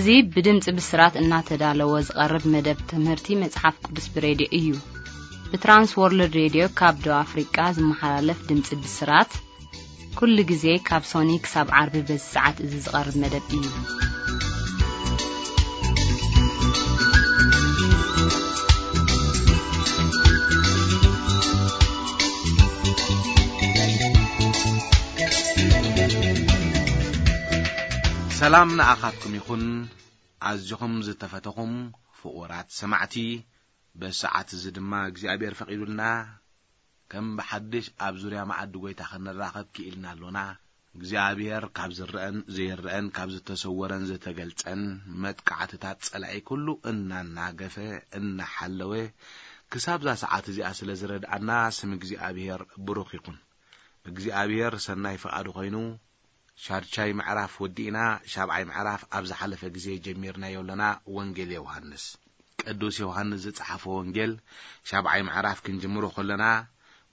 እዚ ብድምፂ ብስራት እናተዳለወ ዝቐርብ መደብ ትምህርቲ መፅሓፍ ቅዱስ ብሬድዮ እዩ። ብትራንስ ወርልድ ሬድዮ ካብ ደቡብ ኣፍሪቃ ዝመሓላለፍ ድምፂ ብስራት ኩሉ ግዜ ካብ ሶኒ ክሳብ ዓርቢ በዚ ሰዓት እዚ ዝቐርብ መደብ እዩ። ሰላም ንኣኻትኩም ይኹን። ኣዝኹም ዝተፈተኹም ፍቑራት ሰማዕቲ፣ በዚ ሰዓት እዚ ድማ እግዚኣብሔር ፈቒዱልና ከም ብሓድሽ ኣብ ዙርያ መዓዲ ጐይታ ክንራኸብ ክኢልና ኣሎና። እግዚኣብሔር ካብ ዝረአን ዘይረአን፣ ካብ ዝተሰወረን ዝተገልጸን መጥቃዕትታት ጸላኢ ኩሉ እናናገፈ፣ እናሓለወ፣ ክሳብዛ ሰዓት እዚኣ ስለ ዝረድኣና፣ ስም እግዚኣብሔር ብሩኽ ይኹን። እግዚኣብሔር ሰናይ ፍቓዱ ኾይኑ፣ ሻድሻይ ምዕራፍ ወዲእና፣ ሻብዓይ ምዕራፍ ኣብ ዝሓለፈ ግዜ ጀሚርናዮ ኣለና። ወንጌል ዮሃንስ፣ ቅዱስ ዮሃንስ ዝጸሓፎ ወንጌል፣ ሻብዓይ ምዕራፍ ክንጅምሮ ከለና፣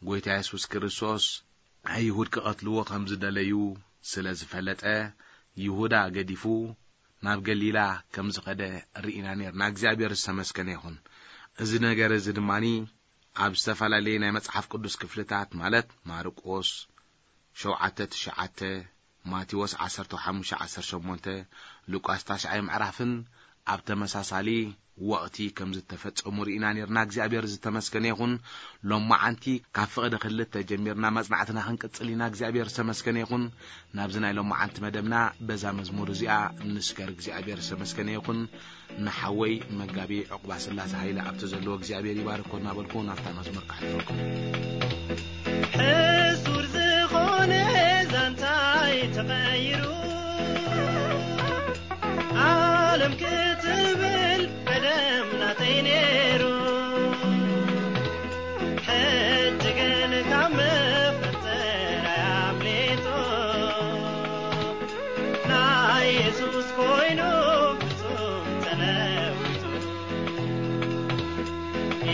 ጐይታ የሱስ ክርስቶስ፣ ኣይሁድ ክቐትልዎ ከም ዝደለዩ ስለ ዝፈለጠ፣ ይሁዳ ገዲፉ ናብ ገሊላ ከም ዝኸደ ርኢና ኔርና። እግዚኣብሔር ዝተመስገነ ይኹን። እዚ ነገር እዚ ድማኒ ኣብ ዝተፈላለየ ናይ መጽሓፍ ቅዱስ ክፍልታት፣ ማለት ማርቆስ ሸውዓተ ትሽዓተ፣ ማቴዎስ ዓሰርተ ሓሙሽተ ዓሰርተ ሸሞንተ፣ ሉቃስ ታሽዓይ ምዕራፍን ኣብ ተመሳሳሊ ወቕቲ ከም ዝተፈጸሙ ርኢና ኔርና። እግዚኣብሔር ዝተመስገነ ይኹን። ሎማዓንቲ ካብ ፍቕዲ ክልተ ጀሚርና መጽናዕትና ክንቅጽል ኢና። እግዚኣብሔር ዝተመስገነ ይኹን። ናብዚ ናይ ሎማዓንቲ መደብና በዛ መዝሙር እዚኣ ንስገር። እግዚኣብሔር ዝተመስገነ ይኹን። ንሓወይ መጋቢ ዕቑባ ስላሴ ሃይለ ኣብቲ ዘለዎ እግዚኣብሔር ይባርኮ እናበልኩ ናብታ መዝሙር ክሓልፈኩም። ሕሱር ዝኾነ ዛንታይ ተቐይሩ፣ ዓለም ክትብል ቀደም ናተይ ነይሩ። ሕጂ ግን ካብ መፈጠራይ ኣምሊጡ፣ ናይ የሱስ ኮይኑ ፍጹም ተለዊጡ።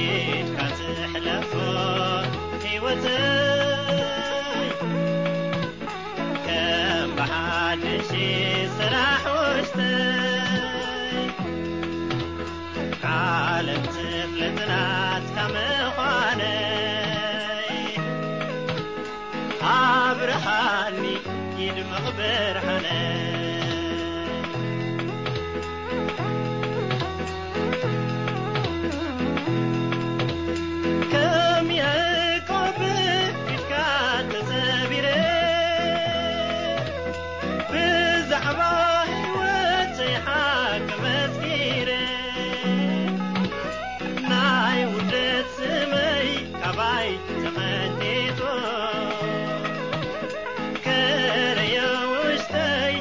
ኢድካ ትሕለፎ ህይወተይ፣ ከም ብሓድሽ ስራሕ ውሽጠይ፣ ዓለም ትፍለጥ ናትካ ምዃነይ፣ ኣብርሃኒ ይድምቕ ብርሃነይ። ከም ያዕቆብ ፊትካ ተሰቢረ፣ ብዛዕባ ህይወተይ ሓቂ መስኪረ፣ ናይ ውርደት ስመይ ካባይ ተቐንጢጡ፣ ከረዮ ውሽጠይ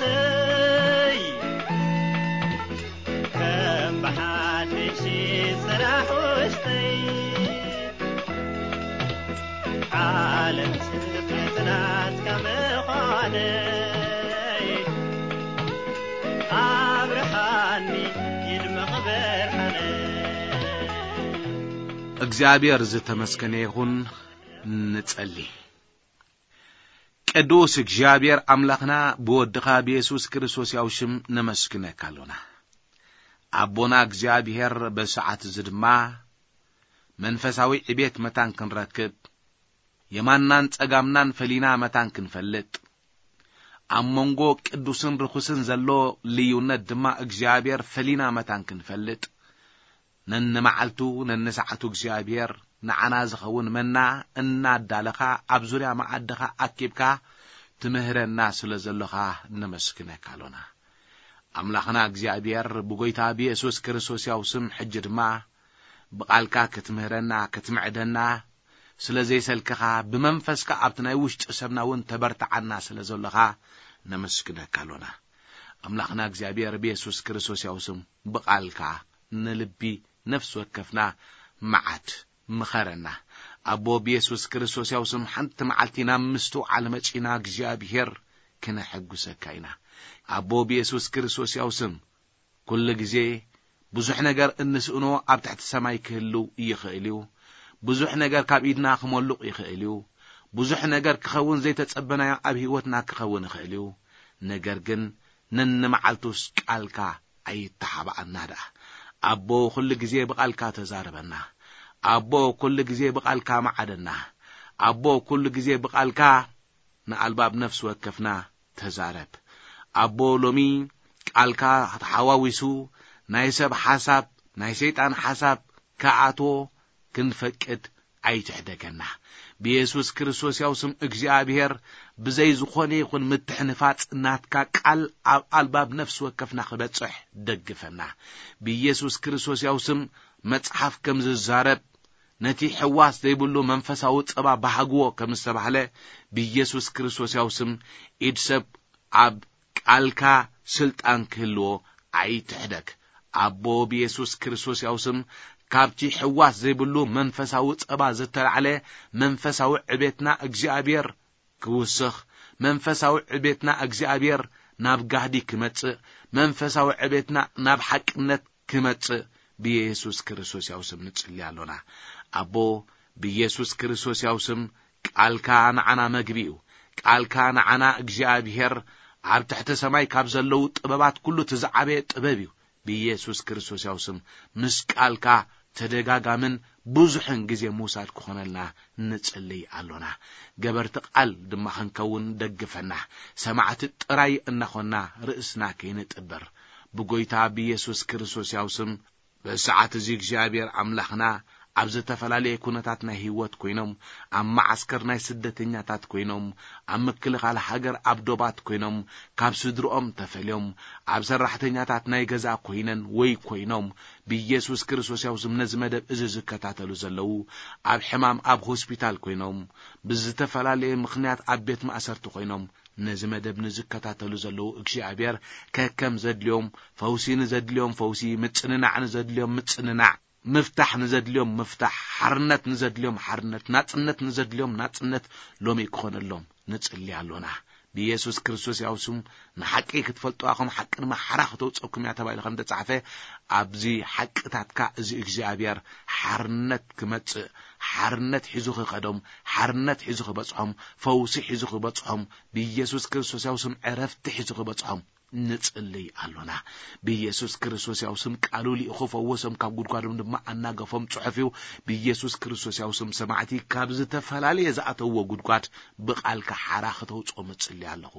ውሽጠይ፣ ከም ብሓድሽ ጽራሕ ውሽጠይ፣ ዓለም ስፍሕቲ ናትካ ምዃነይ፣ ኣብርሃኒ ይድመቕ ብርሃነይ። እግዚኣብሔር ዝተመስገነ ይኹን። ንጸሊ። ቅዱስ እግዚኣብሔር ኣምላኽና፣ ብወድኻ ብየሱስ ክርስቶስ ያው ሽም ነመስግነካ ኣሎና። ኣቦና እግዚኣብሔር፣ በሰዓት እዚ ድማ መንፈሳዊ ዕቤት መታን ክንረክብ፣ የማንናን ጸጋምናን ፈሊና መታን ክንፈልጥ፣ ኣብ መንጎ ቅዱስን ርኹስን ዘሎ ልዩነት ድማ እግዚኣብሔር ፈሊና መታን ክንፈልጥ፣ ነንመዓልቱ ነንሰዓቱ እግዚኣብሔር ንዓና ዝኸውን መና እናዳለኻ ኣብ ዙርያ መዓድኻ ኣኪብካ ትምህረና ስለ ዘሎኻ ነመስግነካ ኣሎና። ኣምላኽና እግዚኣብሔር፣ ብጎይታ ብየሱስ ክርስቶስ ያው ስም ሕጂ ድማ ብቓልካ ክትምህረና ክትምዕደና ስለ ዘይሰልክኻ፣ ብመንፈስካ ኣብቲ ናይ ውሽጢ ሰብና እውን ተበርትዓና ስለ ዘሎኻ ነመስግነካ ኣሎና። ኣምላኽና እግዚኣብሔር፣ ብየሱስ ክርስቶስ ያው ስም ብቓልካ ንልቢ ነፍሲ ወከፍና መዓት ምኸረና። ኣቦ፣ ብየሱስ ክርስቶስ ያው ስም ሓንቲ መዓልቲ ናብ ምስትውዓል መጺና እግዚኣብሔር ክነሐጉሰካ ኢና። ኣቦ፣ ብየሱስ ክርስቶስ ያው ስም ኩሉ ግዜ ብዙሕ ነገር እንስእኖ ኣብ ትሕቲ ሰማይ ክህልው ይኽእል እዩ። ብዙሕ ነገር ካብ ኢድና ክመሉቕ ይኽእል እዩ። ብዙሕ ነገር ክኸውን ዘይተጸበናዮ ኣብ ህይወትና ክኸውን ይኽእል እዩ። ነገር ግን ነንመዓልቱስ ቃልካ ኣይተሓባኣና ደኣ። ኣቦ፣ ኩሉ ግዜ ብቓልካ ተዛረበና። ኣቦ፣ ኩሉ ግዜ ብቓልካ መዓደና። ኣቦ፣ ኩሉ ግዜ ብቓልካ ንኣልባብ ነፍሲ ወከፍና ተዛረብ። ኣቦ፣ ሎሚ ቃልካ ተሓዋዊሱ ናይ ሰብ ሓሳብ፣ ናይ ሰይጣን ሓሳብ ክኣትዎ ክንፈቅድ ኣይትሕደገና። ብየሱስ ክርስቶስ ያው ስም እግዚኣብሔር፣ ብዘይ ዝኾነ ይኹን ምትሕንፋጽ ናትካ ቃል ኣብ ኣልባብ ነፍሲ ወከፍና ክበጽሕ ደግፈና። ብየሱስ ክርስቶስ ያው ስም መጽሓፍ ከም ዝዛረብ፣ ነቲ ሕዋስ ዘይብሉ መንፈሳዊ ጸባ ባህግዎ ከም ዝተባህለ፣ ብየሱስ ክርስቶስ ያው ስም ኢድ ሰብ ኣብ ቃልካ ስልጣን ክህልዎ ኣይትሕደግ። ኣቦ፣ ብየሱስ ክርስቶስ ያው ስም ካብቲ ሕዋስ ዘይብሉ መንፈሳዊ ጸባ ዝተላዕለ መንፈሳዊ ዕቤትና እግዚኣብሔር ክውስኽ፣ መንፈሳዊ ዕቤትና እግዚኣብሔር ናብ ጋህዲ ክመጽእ፣ መንፈሳዊ ዕቤትና ናብ ሓቅነት ክመጽእ ብየሱስ ክርስቶስ ያው ስም ንጽሊ ኣሎና። ኣቦ፣ ብየሱስ ክርስቶስ ያው ስም ቃልካ ንዓና መግቢ እዩ። ቃልካ ንዓና እግዚኣብሔር ኣብ ትሕቲ ሰማይ ካብ ዘለዉ ጥበባት ኩሉ እቲ ዝዓበየ ጥበብ እዩ። ብየሱስ ክርስቶስ ያው ስም ምስ ቃልካ ተደጋጋምን ብዙሕን ግዜ ምውሳድ ክኾነልና ንጽልይ ኣሎና። ገበርቲ ቃል ድማ ክንከውን ደግፈና። ሰማዕቲ ጥራይ እናኾንና ርእስና ከይንጥብር። ብጎይታ ብየሱስ ክርስቶስ ያው ስም በዚ ሰዓት እዚ እግዚኣብሔር ኣምላኽና ኣብ ዝተፈላለየ ኩነታት ናይ ህይወት ኮይኖም፣ ኣብ መዓስከር ናይ ስደተኛታት ኮይኖም፣ ኣብ ምክልኻል ሃገር ኣብ ዶባት ኮይኖም፣ ካብ ስድርኦም ተፈልዮም፣ ኣብ ሰራሕተኛታት ናይ ገዛ ኮይነን ወይ ኮይኖም፣ ብኢየሱስ ክርስቶስ ያው ስም ነዚ መደብ እዚ ዝከታተሉ ዘለዉ፣ ኣብ ሕማም ኣብ ሆስፒታል ኮይኖም፣ ብዝተፈላለየ ምኽንያት ኣብ ቤት ማእሰርቲ ኮይኖም፣ ነዚ መደብ ንዝከታተሉ ዘለዉ እግዚኣብሔር ከከም ዘድልዮም ፈውሲ ንዘድልዮም ፈውሲ፣ ምጽንናዕ ንዘድልዮም ምጽንናዕ፣ ምፍታሕ ንዘድልዮም ምፍታሕ፣ ሓርነት ንዘድልዮም ሓርነት፣ ናጽነት ንዘድልዮም ናጽነት ሎሚ ክኾነሎም ንጽሊ ኣሎና። ብኢየሱስ ክርስቶስ ያው ስም ንሓቂ ክትፈልጡ ኣኹም፣ ሓቂ ድማ ሓራ ክተውጸኩም እያ ተባሂሉ ከም ተጻሕፈ፣ ኣብዚ ሓቅታትካ እዚ እግዚኣብሔር ሓርነት ክመጽእ፣ ሓርነት ሒዙ ክኸዶም፣ ሓርነት ሒዙ ክበጽሖም፣ ፈውሲ ሒዙ ክበጽሖም፣ ብኢየሱስ ክርስቶስ ያው ስም ዕረፍቲ ሒዙ ክበጽሖም ንጽልይ ኣሎና። ብኢየሱስ ክርስቶስ ያው ስም ቃሉ ልኢኹ ፈወሶም፣ ካብ ጉድጓዶም ድማ ኣናገፎም ጽሑፍ እዩ። ብኢየሱስ ክርስቶስ ያው ስም ሰማዕቲ ካብ ዝተፈላለየ ዝኣተውዎ ጉድጓድ ብቓልካ ሓራ ክተውጽኦም እጽሊ ኣለኹ።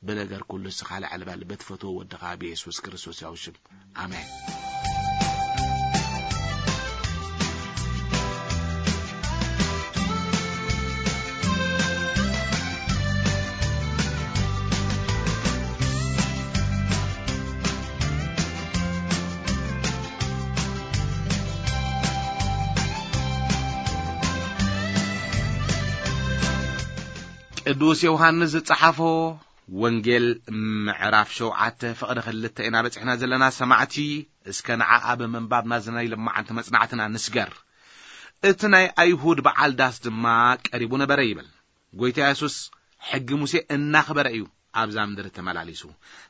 ብነገር ኩሉ እስኻ ልዕል በል፣ በትፈትዎ ወድኻ ብኢየሱስ ክርስቶስ ያው ሽም። ኣሜን። ቅዱስ ዮሃንስ ዝጸሓፎ ወንጌል ምዕራፍ ሸውዓተ ፍቕዲ ክልተ ኢና በጺሕና ዘለና ሰማዕቲ። እስከ ንዓኣ ብምንባብ ናዚ ናይ ልማዓንቲ መጽናዕትና ንስገር። እቲ ናይ ኣይሁድ በዓል ዳስ ድማ ቀሪቡ ነበረ ይብል። ጎይታ የሱስ ሕጊ ሙሴ እናኽበረ እዩ ኣብዛ ምድሪ ተመላሊሱ።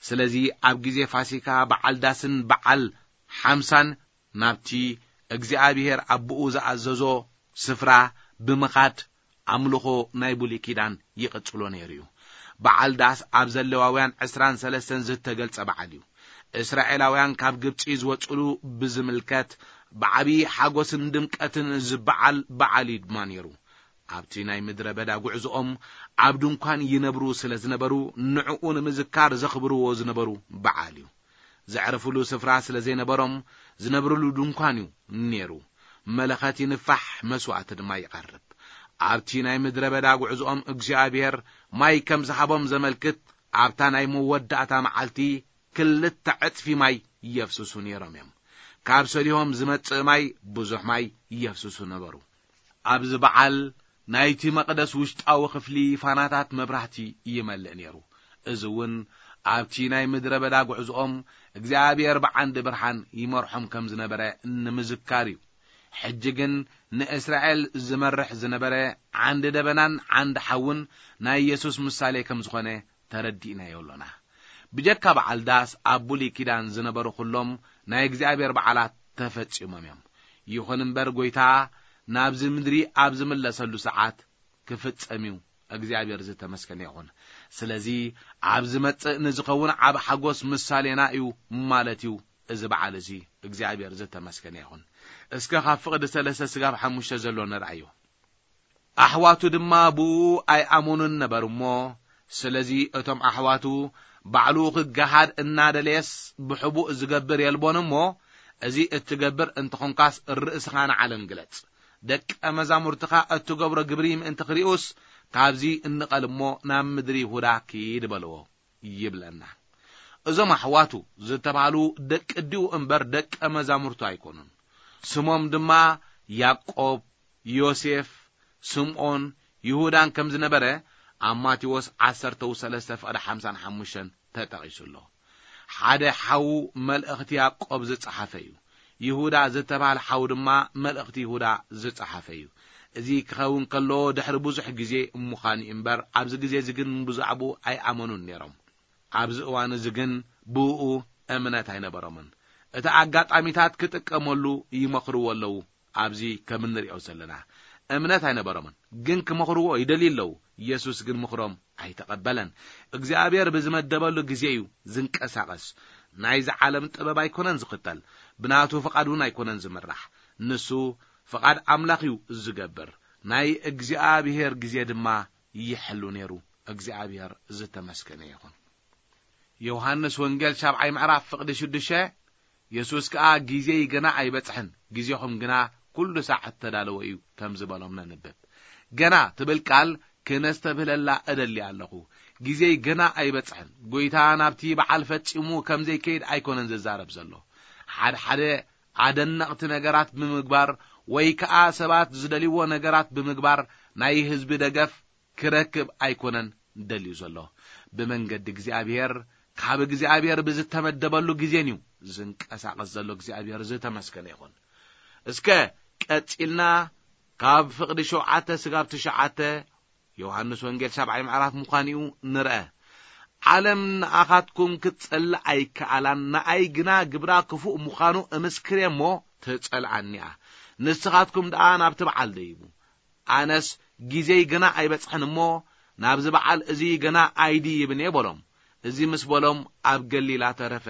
ስለዚ ኣብ ግዜ ፋሲካ በዓል ዳስን በዓል ሓምሳን ናብቲ እግዚኣብሔር ኣቦኡ ዝኣዘዞ ስፍራ ብምኻድ ኣምልኾ ናይ ብሉይ ኪዳን ይቕጽሎ ነይሩ እዩ። በዓል ዳስ ኣብ ዘሌዋውያን ዕስራን ሰለስተን ዝተገልጸ በዓል እዩ። እስራኤላውያን ካብ ግብጺ ዝወጽሉ ብዝምልከት ብዓቢ ሓጎስን ድምቀትን ዝበዓል በዓል እዩ ድማ ነይሩ። ኣብቲ ናይ ምድረ በዳ ጉዕዞኦም ኣብ ድንኳን ይነብሩ ስለ ዝነበሩ ንዕኡ ንምዝካር ዘኽብርዎ ዝነበሩ በዓል እዩ። ዘዕርፍሉ ስፍራ ስለ ዘይነበሮም ዝነብርሉ ድንኳን እዩ ነይሩ። መለኸት ይንፋሕ፣ መስዋእቲ ድማ ይቐርብ። ኣብቲ ናይ ምድረ በዳ ጉዕዞኦም እግዚኣብሔር ማይ ከም ዝሃቦም ዘመልክት ኣብታ ናይ መወዳእታ መዓልቲ ክልተ ዕጽፊ ማይ የፍስሱ ነይሮም እዮም። ካብ ሰሊሆም ዝመጽእ ማይ ብዙሕ ማይ የፍስሱ ነበሩ። ኣብዚ በዓል ናይቲ መቕደስ ውሽጣዊ ክፍሊ ፋናታት መብራህቲ ይመልእ ነይሩ። እዚ እውን ኣብቲ ናይ ምድረ በዳ ጉዕዞኦም እግዚኣብሔር ብዓንዲ ብርሃን ይመርሖም ከም ዝነበረ ንምዝካር እዩ። ሕጂ ግን ንእስራኤል ዝመርሕ ዝነበረ ዓንዲ ደበናን ዓንዲ ሓውን ናይ የሱስ ምሳሌ ከም ዝኾነ ተረዲእናዮ ኣሎና። ብጀካ በዓል ዳስ ኣብ ብሉይ ኪዳን ዝነበሩ ኩሎም ናይ እግዚኣብሔር በዓላት ተፈጺሞም እዮም። ይኹን እምበር ጎይታ ናብዚ ምድሪ ኣብ ዝምለሰሉ ሰዓት ክፍጸም እዩ። እግዚኣብሔር ዝተመስገነ ይኹን። ስለዚ ኣብ ዝመጽእ ንዝኸውን ዓብ ሓጎስ ምሳሌና እዩ ማለት እዩ። እዚ በዓል እዚ እግዚኣብሔር ዝተመስገነ ይኹን። እስከ ካብ ፍቕዲ ሰለስተ ስጋብ ሓሙሽተ ዘሎ ንርኣዮ። ኣሕዋቱ ድማ ብኡ ኣይኣመኑን ነበሩ እሞ፣ ስለዚ እቶም ኣሕዋቱ ባዕሉ ክገሃድ እናደለየስ ብሕቡእ ዝገብር የልቦን እሞ፣ እዚ እትገብር እንተኾንካስ ርእስኻ ንዓለም ግለጽ። ደቀ መዛሙርትኻ እትገብሮ ግብሪ ምእንቲ ክርእዩስ፣ ካብዚ እንቐል እሞ ናብ ምድሪ ይሁዳ ኪድ በልዎ ይብለና። እዞም ኣሕዋቱ ዝተባህሉ ደቂ ኣዲኡ እምበር ደቀ መዛሙርቱ ኣይኮኑን። ስሞም ድማ ያዕቆብ፣ ዮሴፍ፣ ስምዖን፣ ይሁዳን ከም ዝነበረ ኣብ ማቴዎስ ዓሰርተ ሰለስተ ፍቕዲ ሓምሳን ሓሙሽተን ተጠቒሱ ኣሎ። ሓደ ሓው መልእኽቲ ያዕቆብ ዝጸሓፈ እዩ። ይሁዳ ዝተባህለ ሓው ድማ መልእኽቲ ይሁዳ ዝጸሓፈ እዩ። እዚ ክኸውን ከሎ ድሕሪ ብዙሕ ግዜ ምዃኑ እዩ እምበር፣ ኣብዚ ግዜ እዚ ግን ብዛዕባኡ ኣይኣመኑን ነይሮም። ኣብዚ እዋን እዚ ግን ብእኡ እምነት ኣይነበሮምን። እቲ ኣጋጣሚታት ክጥቀመሉ ይመኽርዎ ኣለዉ። ኣብዚ ከም እንሪኦ ዘለና እምነት ኣይነበሮምን፣ ግን ክመኽርዎ ይደልዩ ኣለዉ። ኢየሱስ ግን ምኽሮም ኣይተቐበለን። እግዚኣብሔር ብዝመደበሉ ግዜ እዩ ዝንቀሳቐስ። ናይዚ ዓለም ጥበብ ኣይኮነን ዝኽተል፣ ብናቱ ፍቓድ እውን ኣይኮነን ዝምራሕ። ንሱ ፍቓድ ኣምላኽ እዩ ዝገብር። ናይ እግዚኣብሔር ግዜ ድማ ይሕሉ ነይሩ። እግዚኣብሔር ዝተመስገነ ይኹን። ዮሃንስ ወንጌል ሻብዓይ ምዕራፍ ፍቕዲ ሽዱሽተ፣ የሱስ ከኣ ግዜይ ገና ኣይበጽሐን፣ ግዜኹም ግና ኩሉ ሳዕ እተዳለወ እዩ ከም ዝበሎም ነንብብ። ገና ትብል ቃል ክነስተብህለላ እደሊ ኣለኹ። ግዜይ ገና ኣይበጽሐን። ጎይታ ናብቲ በዓል ፈጺሙ ከም ዘይከይድ ኣይኮነን ዝዛረብ ዘሎ። ሓድሓደ ኣደነቕቲ ነገራት ብምግባር ወይ ከኣ ሰባት ዝደልይዎ ነገራት ብምግባር ናይ ህዝቢ ደገፍ ክረክብ ኣይኮነን ደልዩ ዘሎ። ብመንገዲ እግዚኣብሔር፣ ካብ እግዚኣብሔር ብዝተመደበሉ ግዜን እዩ ዝንቀሳቐስ ዘሎ። እግዚኣብሔር ዝተመስገነ ይኹን። እስከ ቀጺልና ካብ ፍቕዲ ሸውዓተ ስጋብ ትሽዓተ ዮሃንስ ወንጌል ሻብዓይ ምዕራፍ ምዃኑ እዩ ንርአ። ዓለም ንኣኻትኩም ክትጸልእ ኣይከኣላን፣ ንኣይ ግና ግብራ ክፉእ ምዃኑ እምስክር እየ እሞ ትጸልኣኒ እያ። ንስኻትኩም ደኣ ናብቲ በዓል ደይቡ። ኣነስ ግዜይ ገና ኣይበጽሐን እሞ ናብዚ በዓል እዚ ገና ኣይድይብን እየ በሎም። እዚ ምስ በሎም ኣብ ገሊላ ተረፈ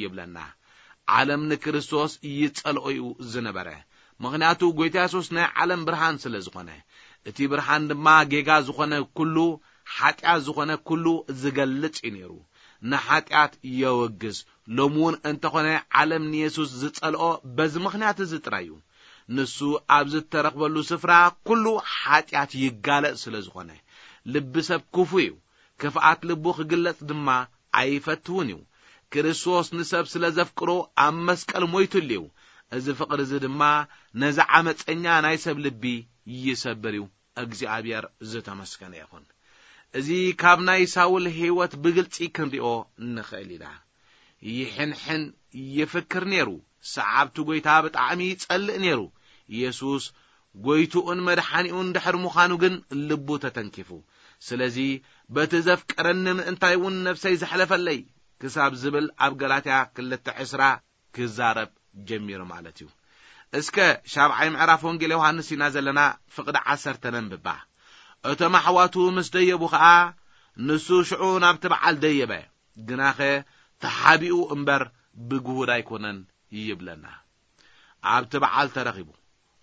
ይብለና። ዓለም ንክርስቶስ ይጸልኦ እዩ ዝነበረ። ምኽንያቱ ጎይታ የሱስ ናይ ዓለም ብርሃን ስለ ዝኾነ። እቲ ብርሃን ድማ ጌጋ ዝኾነ ኩሉ፣ ሓጢኣት ዝኾነ ኩሉ ዝገልጽ እዩ ነይሩ። ንሓጢኣት የወግዝ። ሎሚ እውን እንተኾነ ዓለም ንየሱስ ዝጸልኦ በዚ ምኽንያት እዚ ጥራይ እዩ። ንሱ ኣብ ዝተረኽበሉ ስፍራ ኩሉ ሓጢኣት ይጋለጽ ስለ ዝኾነ። ልቢ ሰብ ክፉ እዩ። ክፍኣት ልቡ ክግለጽ ድማ ኣይፈትውን እዩ። ክርስቶስ ንሰብ ስለ ዘፍቅሮ ኣብ መስቀል ሞይቱሉ እዩ። እዚ ፍቕሪ እዚ ድማ ነዚ ዓመፀኛ ናይ ሰብ ልቢ ይሰብር እዩ። እግዚኣብሔር ዝተመስገነ ይኹን። እዚ ካብ ናይ ሳውል ህይወት ብግልጺ ክንሪኦ ንኽእል ኢና። ይሕንሕን ይፍክር ነይሩ። ሰዓብቲ ጐይታ ብጣዕሚ ይጸልእ ነይሩ። የሱስ ጐይትኡን መድሓኒኡን ድሕሪ ምዃኑ ግን ልቡ ተተንኪፉ። ስለዚ በቲ ዘፍቀረኒ ምእንታይ እውን ነፍሰይ ዘሕለፈለይ ክሳብ ዝብል ኣብ ገላትያ ክልተ ዕስራ ክዛረብ ጀሚሩ ማለት እዩ። እስከ ሻብዓይ ምዕራፍ ወንጌል ዮሃንስ ኢና ዘለና፣ ፍቕዲ ዓሰርተ ነንብባ። እቶም ኣሕዋቱ ምስ ደየቡ ኸኣ ንሱ ሽዑ ናብቲ በዓል ደየበ። ግናኸ ተሓቢኡ እምበር ብግሁድ ኣይኮነን ይብለና። ኣብቲ በዓል ተረኺቡ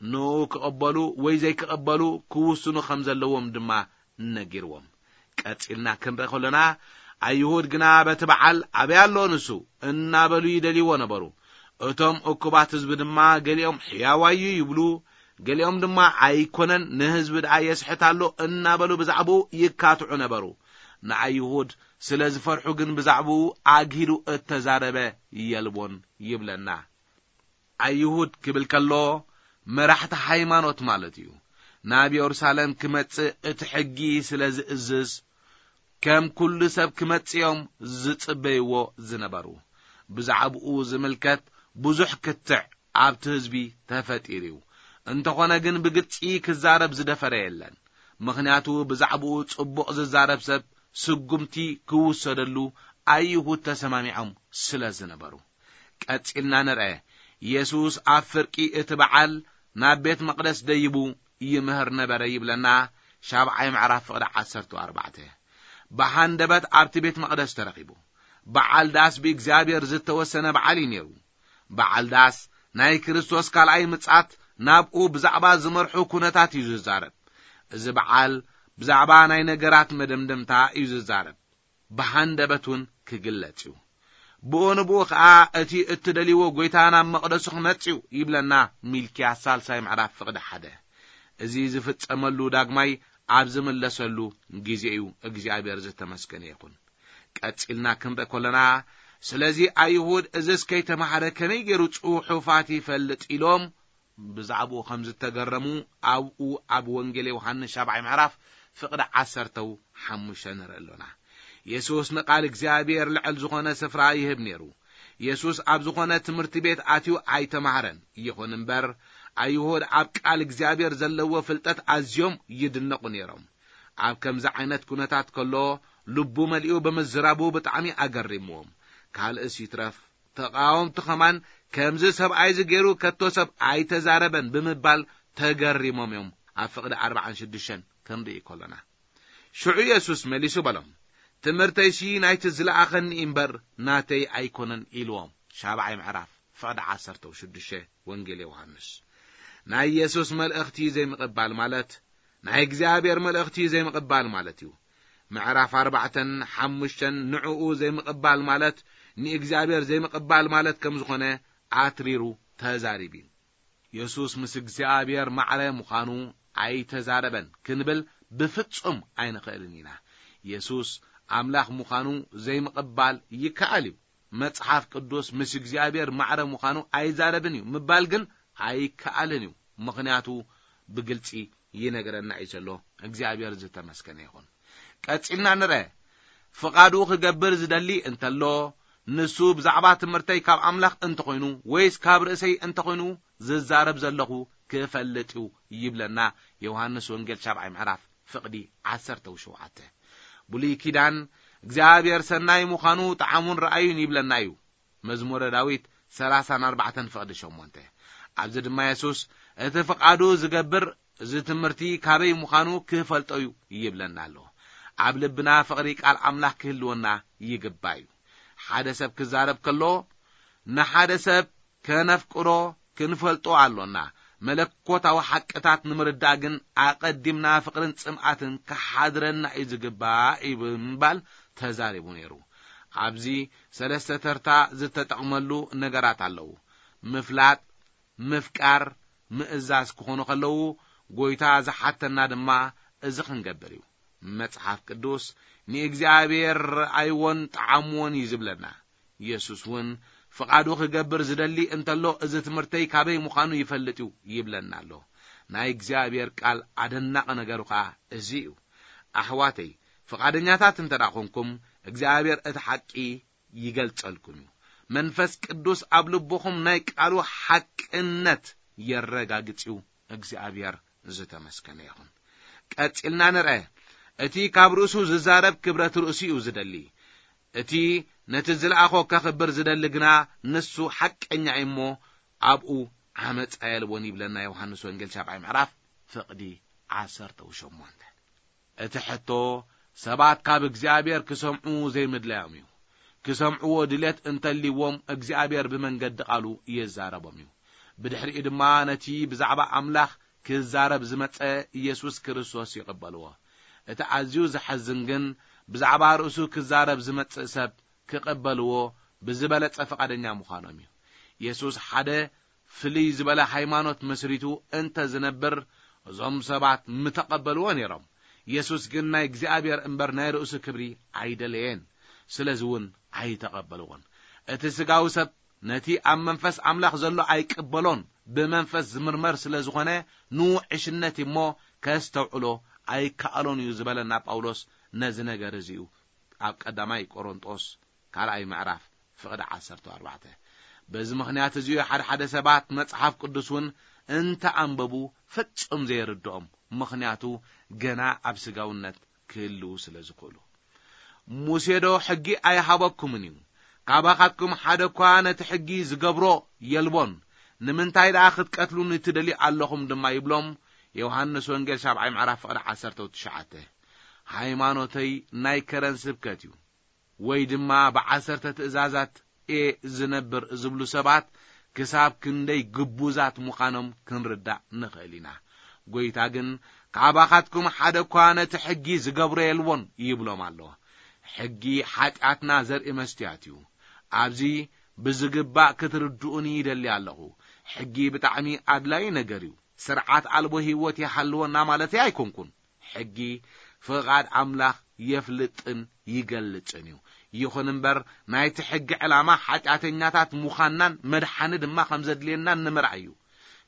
ንኡ ክቕበሉ ወይ ዘይክቕበሉ ክውስኑ ከም ዘለዎም ድማ ነጊርዎም። ቀጺልና ክንርኢ ከሎና፣ ኣይሁድ ግና በቲ በዓል ኣበይ ኣሎ ንሱ እናበሉ ይደልይዎ ነበሩ። እቶም እኩባት ህዝቢ ድማ ገሊኦም ሕያዋዩ ይብሉ፣ ገሊኦም ድማ ኣይኮነን፣ ንህዝቢ ደኣ የስሕት ኣሎ እናበሉ ብዛዕባኡ ይካትዑ ነበሩ። ንኣይሁድ ስለ ዝፈርሑ ግን ብዛዕባኡ ኣግሂዱ እተዛረበ የልቦን ይብለና። ኣይሁድ ክብል ከሎ መራሕቲ ሃይማኖት ማለት እዩ። ናብ የሩሳሌም ክመጽእ እቲ ሕጊ ስለ ዝእዝዝ ከም ኩሉ ሰብ ክመጽእ እዮም ዝጽበይዎ ዝነበሩ። ብዛዕባኡ ዝምልከት ብዙሕ ክትዕ ኣብቲ ህዝቢ ተፈጢሩ እዩ። እንተኾነ ግን ብግልጺ ክዛረብ ዝደፈረ የለን። ምኽንያቱ ብዛዕባኡ ጽቡቕ ዝዛረብ ሰብ ስጉምቲ ክውሰደሉ ኣይሁድ ተሰማሚዖም ስለ ዝነበሩ። ቀጺልና ንርአ። የሱስ ኣብ ፍርቂ እቲ በዓል ናብ ቤት መቕደስ ደይቡ ይምህር ነበረ ይብለና። ሻብዓይ ምዕራፍ ፍቕዲ ዓሰርተ ኣርባዕተ። ብሃንደበት ኣብቲ ቤት መቕደስ ተረኺቡ። በዓል ዳስ ብእግዚኣብሔር ዝተወሰነ በዓል እዩ ነይሩ። በዓል ዳስ ናይ ክርስቶስ ካልኣይ ምጻት ናብኡ ብዛዕባ ዝመርሑ ኩነታት እዩ ዝዛረብ። እዚ በዓል ብዛዕባ ናይ ነገራት መደምደምታ እዩ ዝዛረብ። ብሃንደበት እውን ክግለጽ እዩ። ብኡ ንብኡ ኸኣ እቲ እትደልይዎ ጐይታ ናብ መቕደሱ ክመጽእ እዩ ይብለና። ሚልክያስ ሳልሳይ ምዕራፍ ፍቕዲ ሓደ። እዚ ዝፍጸመሉ ዳግማይ ኣብ ዝምለሰሉ ግዜ እዩ። እግዚኣብሔር ዝተመስገነ ይኹን። ቀጺልና ክንርኢ ከለና፣ ስለዚ ኣይሁድ እዝስ ከይተማህረ ከመይ ገይሩ ጽሑፋት ይፈልጥ ኢሎም ብዛዕባኡ ከም ዝተገረሙ ኣብኡ ኣብ ወንጌል ዮሃንስ ሻብዓይ ምዕራፍ ፍቕዲ ዓሰርተው ሓሙሽተ ንርኢ ኣሎና። የሱስ ንቓል እግዚኣብሔር ልዕል ዝኾነ ስፍራ ይህብ ነይሩ። የሱስ ኣብ ዝኾነ ትምህርቲ ቤት ኣትዩ ኣይተማህረን። ይኹን እምበር፣ ኣይሁድ ኣብ ቃል እግዚኣብሔር ዘለዎ ፍልጠት ኣዝዮም ይድነቑ ነይሮም። ኣብ ከምዚ ዓይነት ኩነታት ከሎ፣ ልቡ መሊኡ ብምዝራቡ ብጣዕሚ ኣገሪምዎም። ካልእስ ይትረፍ፣ ተቓወምቲ ኸማን፣ "ከምዚ ሰብኣይ እዚ ገይሩ ከቶ ሰብ ኣይተዛረበን" ብምባል ተገሪሞም እዮም። ኣብ ፍቕዲ ኣርባዓን ሽዱሽተን ክንርኢ ከሎና፣ ሽዑ የሱስ መሊሱ በሎም፣ "ትምህርተይሲ ናይቲ ዝለኣኸኒ እምበር ናተይ ኣይኮነን" ኢልዎም። ሻብዓይ ምዕራፍ ፍቕዲ ዓሰርተ ሽዱሽተ ወንጌል ዮሃንስ። ናይ የሱስ መልእኽቲ ዘይምቕባል ማለት ናይ እግዚኣብሔር መልእኽቲ ዘይምቕባል ማለት እዩ። ምዕራፍ ኣርባዕተን ሓሙሽተን ንዕኡ ዘይምቕባል ማለት ንእግዚኣብሔር ዘይምቕባል ማለት ከም ዝኾነ ኣትሪሩ ተዛሪቡ እዩ። የሱስ ምስ እግዚኣብሔር ማዕረ ምዃኑ ኣይተዛረበን ክንብል ብፍጹም ኣይንኽእልን ኢና። የሱስ ኣምላኽ ምዃኑ ዘይምቕባል ይከኣል እዩ። መጽሓፍ ቅዱስ ምስ እግዚኣብሔር ማዕረ ምዃኑ ኣይዛረብን እዩ ምባል ግን ኣይከኣልን እዩ። ምኽንያቱ ብግልጺ ይነግረና እዩ ዘሎ። እግዚኣብሔር ዝተመስገነ ይኹን። ቀጺልና ንርአ። ፍቓዱ ክገብር ዝደሊ እንተሎ፣ ንሱ ብዛዕባ ትምህርተይ ካብ ኣምላኽ እንተኾይኑ ወይስ ካብ ርእሰይ እንተኾይኑ ዝዛረብ ዘለኹ ክፈልጥ እዩ ይብለና። ዮሃንስ ወንጌል ሻብዓይ ምዕራፍ ፍቕዲ ዓሰርተ ሸውዓተ። ብሉይ ኪዳን እግዚኣብሔር ሰናይ ምዃኑ ጠዓሙን ረኣዩን ይብለና እዩ። መዝሙረ ዳዊት ሰላሳን ኣርባዕተን ፍቕዲ ሸሞንተ። ኣብዚ ድማ የሱስ እቲ ፍቓዱ ዝገብር እዚ ትምህርቲ ካበይ ምዃኑ ክፈልጦ እዩ ይብለና ኣሎ። ኣብ ልብና ፍቕሪ ቃል ኣምላኽ ክህልወና ይግባእ እዩ። ሓደ ሰብ ክዛረብ ከሎ ንሓደ ሰብ ከነፍቅሮ ክንፈልጦ ኣሎና። መለኮታዊ ሓቅታት ንምርዳእ ግን ኣቐዲምና ፍቕርን ጽምኣትን ክሓድረና እዩ ዝግባእ እዩ ብምባል ተዛሪቡ ነይሩ። ኣብዚ ሰለስተ ተርታ ዝተጠቕመሉ ነገራት ኣለዉ። ምፍላጥ፣ ምፍቃር፣ ምእዛዝ ክኾኑ ከለዉ፣ ጐይታ ዝሓተና ድማ እዚ ክንገብር እዩ። መጽሓፍ ቅዱስ ንእግዚኣብሔር ረኣይዎን ጠዓምዎን እዩ ዝብለና። የሱስ እውን ፍቓዱ ክገብር ዝደሊ እንተሎ፣ እዚ ትምህርተይ ካበይ ምዃኑ ይፈልጥ እዩ ይብለና ኣሎ። ናይ እግዚኣብሔር ቃል ኣደናቒ ነገሩ ኸኣ እዚ እዩ። ኣሕዋተይ፣ ፍቓደኛታት እንተ ደኣ ኾንኩም፣ እግዚኣብሔር እቲ ሓቂ ይገልጸልኩም እዩ። መንፈስ ቅዱስ ኣብ ልብኹም ናይ ቃሉ ሓቅነት የረጋግጽ እዩ። እግዚኣብሔር ዝተመስገነ ይኹን። ቀጺልና ንርአ። እቲ ካብ ርእሱ ዝዛረብ ክብረት ርእሱ እዩ ዝደሊ። እቲ ነቲ ዝለኣኾ ከኽብር ዝደሊ ግና ንሱ ሓቀኛ እዩ እሞ ኣብኡ ዓመጻ የልቦን ይብለና ዮሃንስ ወንጌል ሻብዓይ ምዕራፍ ፍቕዲ ዓሰርተ ሸሞንተ። እቲ ሕቶ ሰባት ካብ እግዚኣብሔር ክሰምዑ ዘይምድላዮም እዩ። ክሰምዕዎ ድሌት እንተልይዎም እግዚኣብሔር ብመንገዲ ቃሉ ይዛረቦም እዩ። ብድሕሪኡ ድማ ነቲ ብዛዕባ ኣምላኽ ክዛረብ ዝመጸ ኢየሱስ ክርስቶስ ይቕበልዎ። እቲ ኣዝዩ ዘሐዝን ግን ብዛዕባ ርእሱ ክዛረብ ዝመጽእ ሰብ ክቕበልዎ ብዝበለጸ ፍቓደኛ ምዃኖም እዩ። ኢየሱስ ሓደ ፍልይ ዝበለ ሃይማኖት መስሪቱ እንተ ዝነብር እዞም ሰባት ምተቐበልዎ ነይሮም። ኢየሱስ ግን ናይ እግዚኣብሔር እምበር ናይ ርእሱ ክብሪ ኣይደለየን። ስለዚ እውን ኣይተቐበልዎን። እቲ ስጋዊ ሰብ ነቲ ኣብ መንፈስ ኣምላኽ ዘሎ ኣይቅበሎን። ብመንፈስ ዝምርመር ስለ ዝኾነ ንውዕሽነት እሞ ከስተውዕሎ ኣይከኣሎን እዩ ዝበለና ጳውሎስ ነዚ ነገር እዚ እዩ ኣብ ቀዳማይ ቆሮንጦስ ካልኣይ ምዕራፍ ፍቕዲ ዓሰርተ ኣርባዕተ። በዚ ምኽንያት እዚ እዩ ሓደ ሓደ ሰባት መጽሓፍ ቅዱስ እውን እንተ ኣንበቡ ፍጹም ዘይርድኦም፣ ምኽንያቱ ገና ኣብ ስጋውነት ክህልዉ ስለ ዝኽእሉ። ሙሴ ዶ ሕጊ ኣይሃበኩምን እዩ? ካባኻትኩም ሓደ እኳ ነቲ ሕጊ ዝገብሮ የልቦን። ንምንታይ ደኣ ክትቀትሉኒ ትደልዩ ኣለኹም ድማ ይብሎም። ዮሃንስ ወንጌል ሻብዓይ ምዕራፍ ፍቕዲ ዓሰርተ ትሽዓተ። ሃይማኖተይ ናይ ከረን ስብከት እዩ፣ ወይ ድማ ብዓሰርተ ትእዛዛት እየ ዝነብር ዝብሉ ሰባት ክሳብ ክንደይ ግቡዛት ምዃኖም ክንርዳእ ንኽእል ኢና። ጐይታ ግን ካባኻትኩም ሓደ እኳ ነቲ ሕጊ ዝገብሮ የልቦን ይብሎም ኣሎ። ሕጊ ሓጢኣትና ዘርኢ መስትያት እዩ። ኣብዚ ብዝግባእ ክትርድኡኒ ይደሊ ኣለኹ። ሕጊ ብጣዕሚ ኣድላዪ ነገር እዩ። ስርዓት ኣልቦ ህይወት ይሃልወና ማለተይ ኣይኮንኩን። ሕጊ ፍቓድ ኣምላኽ የፍልጥን ይገልጽን እዩ። ይኹን እምበር ናይቲ ሕጊ ዕላማ ሓጢኣተኛታት ምዃንናን መድሓኒ ድማ ከም ዘድልየናን ንምርኣይ እዩ።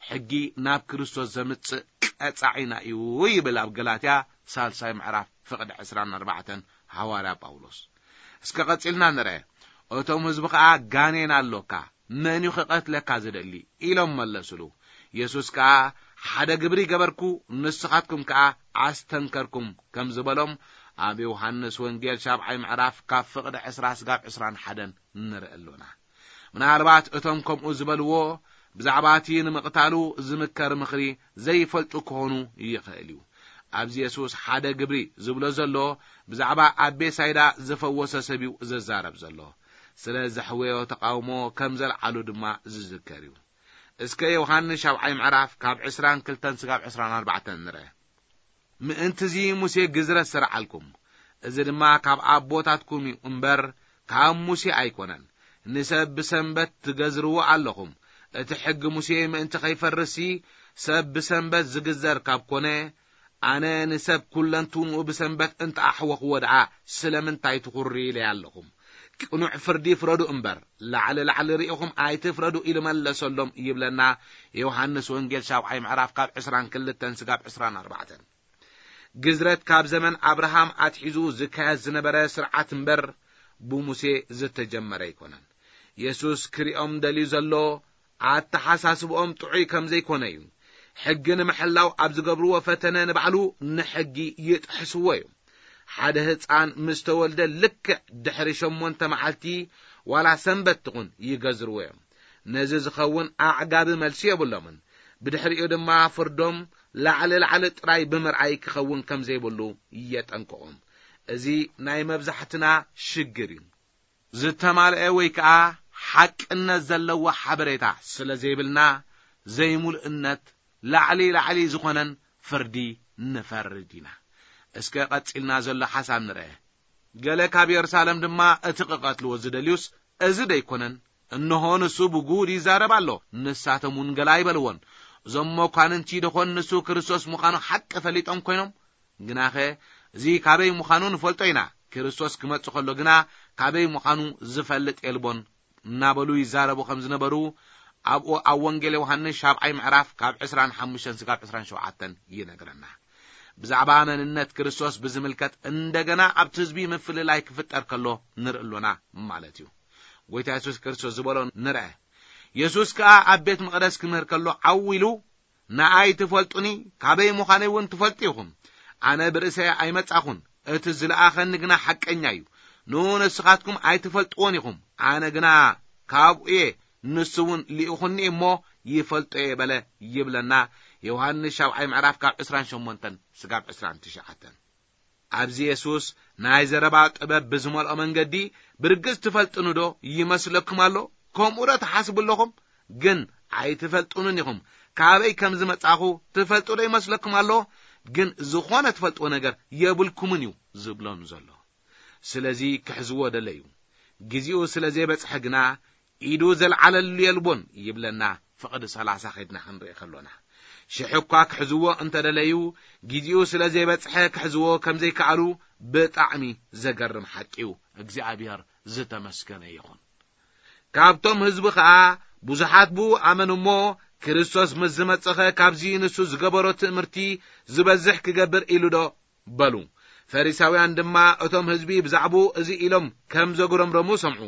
ሕጊ ናብ ክርስቶስ ዘምጽእ ቀጻዒና እዩ ይብል ኣብ ገላትያ ሳልሳይ ምዕራፍ ፍቕዲ ዕስራን ኣርባዕተን ሃዋርያ ጳውሎስ። እስከ ቀጺልና ንርአ። እቶም ህዝቢ ኸኣ ጋኔን ኣሎካ፣ መን እዩ ክቐትለካ ዝደሊ? ኢሎም መለሱሉ። የሱስ ከኣ ሓደ ግብሪ ገበርኩ፣ ንስኻትኩም ከኣ ኣስተንከርኩም ከም ዝበሎም ኣብ ዮሃንስ ወንጌል ሻብዓይ ምዕራፍ ካብ ፍቕዲ ዕስራ ስጋብ ዕስራን ሓደን ንርኢ ኣሎና። ምናልባት እቶም ከምኡ ዝበልዎ ብዛዕባ እቲ ንምቕታሉ ዝምከር ምኽሪ ዘይፈልጡ ክኾኑ ይኽእል እዩ። ኣብዚ የሱስ ሓደ ግብሪ ዝብሎ ዘሎ ብዛዕባ ኣብ ቤሳይዳ ዝፈወሰ ሰብ እዩ ዝዛረብ ዘሎ። ስለ ዘሕወዮ ተቓውሞ ከም ዘልዓሉ ድማ ዝዝከር እዩ። እስከ ዮሃንስ ሻብዓይ ምዕራፍ ካብ ዕስራን ክልተን ስጋብ ዕስራን ኣርባዕተን ንርአ። ምእንትዚ ሙሴ ግዝረት ሰርዓልኩም፣ እዚ ድማ ካብ ኣቦታትኩም እዩ እምበር ካብ ሙሴ ኣይኮነን። ንሰብ ብሰንበት ትገዝርዎ ኣለኹም። እቲ ሕጊ ሙሴ ምእንቲ ኸይፈርስሲ ሰብ ብሰንበት ዝግዘር ካብ ኮነ፣ ኣነ ንሰብ ኩለንትንኡ ብሰንበት እንተ ኣሕወኽዎ ደኣ ስለምንታይ ትኹሪ ኢለይ ኣለኹም? ቅኑዕ ፍርዲ ፍረዱ እምበር፣ ላዕሊ ላዕሊ ርኢኹም ኣይትፍረዱ ኢሉ መለሰሎም ይብለና ዮሃንስ ወንጌል ሻብዓይ ምዕራፍ ካብ ዕስራን ክልተን ስጋብ ዕስራን ኣርባዕተን። ግዝረት ካብ ዘመን ኣብርሃም ኣትሒዙ ዝካየድ ዝነበረ ስርዓት እምበር ብሙሴ ዝተጀመረ ኣይኮነን። የሱስ ክሪኦም ደልዩ ዘሎ ኣተሓሳስብኦም ጥዑይ ከም ዘይኮነ እዩ። ሕጊ ንምሕላው ኣብ ዝገብርዎ ፈተነ ንባዕሉ ንሕጊ ይጥሕስዎ እዩ። ሓደ ህፃን ምስ ተወልደ ልክዕ ድሕሪ ሸሞንተ መዓልቲ ዋላ ሰንበት ትኹን ይገዝርዎ እዮም። ነዚ ዝኸውን ኣዕጋቢ መልሲ የብሎምን። ብድሕሪኡ ድማ ፍርዶም ላዕሊ ላዕሊ ጥራይ ብምርኣይ ክኸውን ከም ዘይብሉ የጠንቅቖም። እዚ ናይ መብዛሕትና ሽግር እዩ። ዝተማልአ ወይ ከኣ ሓቅነት ዘለዎ ሓበሬታ ስለ ዘይብልና ዘይምሉእነት ላዕሊ ላዕሊ ዝኾነን ፍርዲ ንፈርድ ኢና። እስከ ቀጺልና ዘሎ ሓሳብ ንርአ። ገለ ካብ የሩሳሌም ድማ እቲ ክቐትልዎ ዝደልዩስ እዚ ደይኮነን? እንሆ ንሱ ብጉድ ይዛረብ ኣሎ፣ ንሳቶም እውን ገለ ኣይበልዎን። እዞም መኳንንቲ ደኾን ንሱ ክርስቶስ ምዃኑ ሓቂ ፈሊጦም ኮይኖም? ግናኸ እዚ ካበይ ምዃኑ ንፈልጦ ኢና፣ ክርስቶስ ክመጽእ ከሎ ግና ካበይ ምዃኑ ዝፈልጥ የልቦን እናበሉ ይዛረቡ ከም ዝነበሩ ኣብኡ ኣብ ወንጌል ዮሃንስ ሻብዓይ ምዕራፍ ካብ ዕስራን ሓሙሽተን ስጋብ ዕስራን ሸውዓተን ይነግረና። ብዛዕባ መንነት ክርስቶስ ብዝምልከት እንደገና ኣብቲ ህዝቢ ምፍልላይ ክፍጠር ከሎ ንርኢ ኣሎና ማለት እዩ። ጎይታ የሱስ ክርስቶስ ዝበሎ ንርአ። የሱስ ከኣ ኣብ ቤት መቕደስ ክምህር ከሎ ዓው ኢሉ፣ "ንኣይ ትፈልጡኒ፣ ካበይ ምዃነይ እውን ትፈልጡ ኢኹም። ኣነ ብርእሰይ ኣይመጻኹን፣ እቲ ዝለኣኸኒ ግና ሓቀኛ እዩ። ንኡ ንስኻትኩም ኣይትፈልጥዎን ኢኹም፣ ኣነ ግና ካብኡ እየ፣ ንሱ እውን ልኢኹኒ እሞ ይፈልጦ እየ" በለ ይብለና። ዮሃንስ ሻብዓይ ምዕራፍ ካብ ዕስራን ሸሞንተን ስጋብ ዕስራን ትሽዓተን። ኣብዚ የሱስ ናይ ዘረባ ጥበብ ብዝመልኦ መንገዲ፣ "ብርግጽ ትፈልጡኒ ዶ ይመስለኩም ኣሎ? ከምኡ ዶ ትሓስቡ ኣለኹም? ግን ኣይትፈልጡንን ኢኹም። ካበይ ከም ዝመጻኹ ትፈልጡ ዶ ይመስለኩም ኣሎ? ግን ዝኾነ ትፈልጥዎ ነገር የብልኩምን" እዩ ዝብሎም ዘሎ። ስለዚ ክሕዝዎ ደለዩ። ግዜኡ ስለ ዘይበጽሐ ግና፣ "ኢዱ ዘልዓለሉ የልቦን" ይብለና። ፍቕዲ ሰላሳ ኸድና ክንርኢ ከሎና፣ ሽሕ እኳ ክሕዝዎ እንተደለዩ፣ ግዜኡ ስለ ዘይበጽሐ ክሕዝዎ ከም ዘይከኣሉ ብጣዕሚ ዘገርም ሓቂ እዩ። እግዚኣብሔር ዝተመስገነ ይኹን። ካብቶም ህዝቢ ኸኣ ብዙሓት ብኡ ኣመኑ እሞ፣ "ክርስቶስ ምስ ዝመጽኸ ካብዚ ንሱ ዝገበሮ ትእምርቲ ዝበዝሕ ክገብር ኢሉ ዶ?" በሉ። ፈሪሳውያን ድማ እቶም ህዝቢ ብዛዕባኡ እዚ ኢሎም ከም ዘጉረምረሙ ሰምዑ።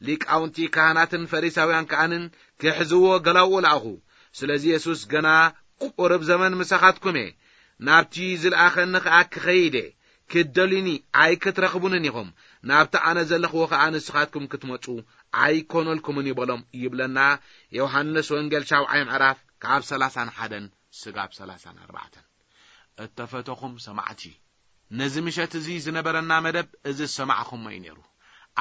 ሊቃውንቲ ካህናትን ፈሪሳውያን ከኣንን ክሕዝዎ ገላውኡ ለኣኹ። ስለዚ የሱስ፣ "ገና ቁሩብ ዘመን ምሳኻትኩም እየ፣ ናብቲ ዝለኣኸኒ ኸኣ ክኸይድ እየ። ክትደልዩኒ ኣይክትረኽቡንን ኢኹም፣ ናብቲ ኣነ ዘለኽዎ ኸኣ ንስኻትኩም ክትመጹ ኣይኮነልኩምን እዩ" በሎም ይብለና። ዮሃንስ ወንጌል ሻብዓይ ምዕራፍ ካብ ሰላሳን ሓደን ስጋብ ሰላሳን ኣርባዕተን። እተፈተኹም ሰማዕቲ፣ ነዚ ምሸት እዚ ዝነበረና መደብ እዚ ዝሰማዕኹሞ እዩ ነይሩ።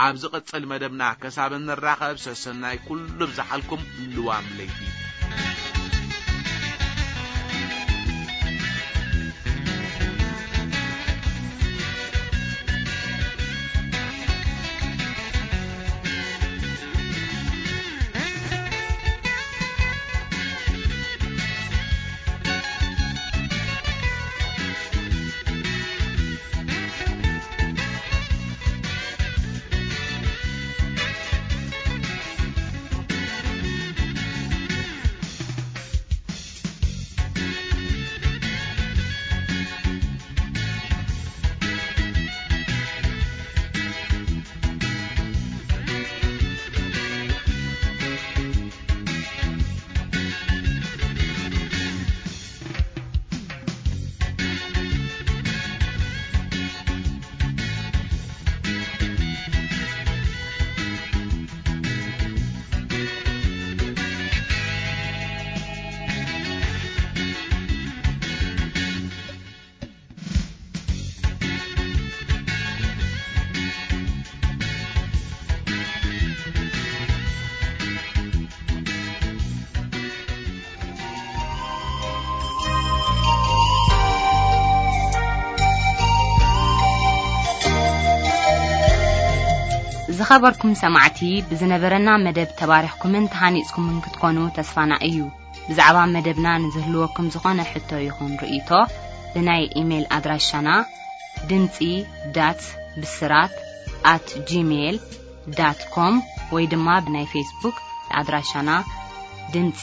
ኣብ ዝቕጽል መደብና ከሳብ እንራኸብ ሰሰናይ ኩሉ ብዝሓልኩም ልዋም ለይቲ። ዝኸበርኩም ሰማዕቲ፣ ብዝነበረና መደብ ተባሪኽኩምን ተሃኒጽኩምን ክትኮኑ ተስፋና እዩ። ብዛዕባ መደብና ንዝህልወኩም ዝኾነ ሕቶ ይኹን ርእይቶ፣ ብናይ ኢሜይል ኣድራሻና ድምጺ ዳት ብስራት ኣት ጂሜይል ዳት ኮም ወይ ድማ ብናይ ፌስቡክ ኣድራሻና ድምጺ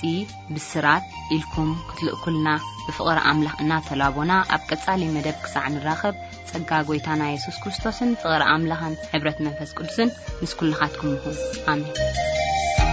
ብስራት ኢልኩም ክትልእኩልና ብፍቕሪ ኣምላኽ እናተላቦና፣ ኣብ ቀጻሊ መደብ ክሳዕ ንራኸብ፣ ጸጋ ጐይታና የሱስ ክርስቶስን ፍቕሪ ኣምላኽን ሕብረት መንፈስ ቅዱስን ምስ ኩልኻትኩም ይኹን። ኣሜን።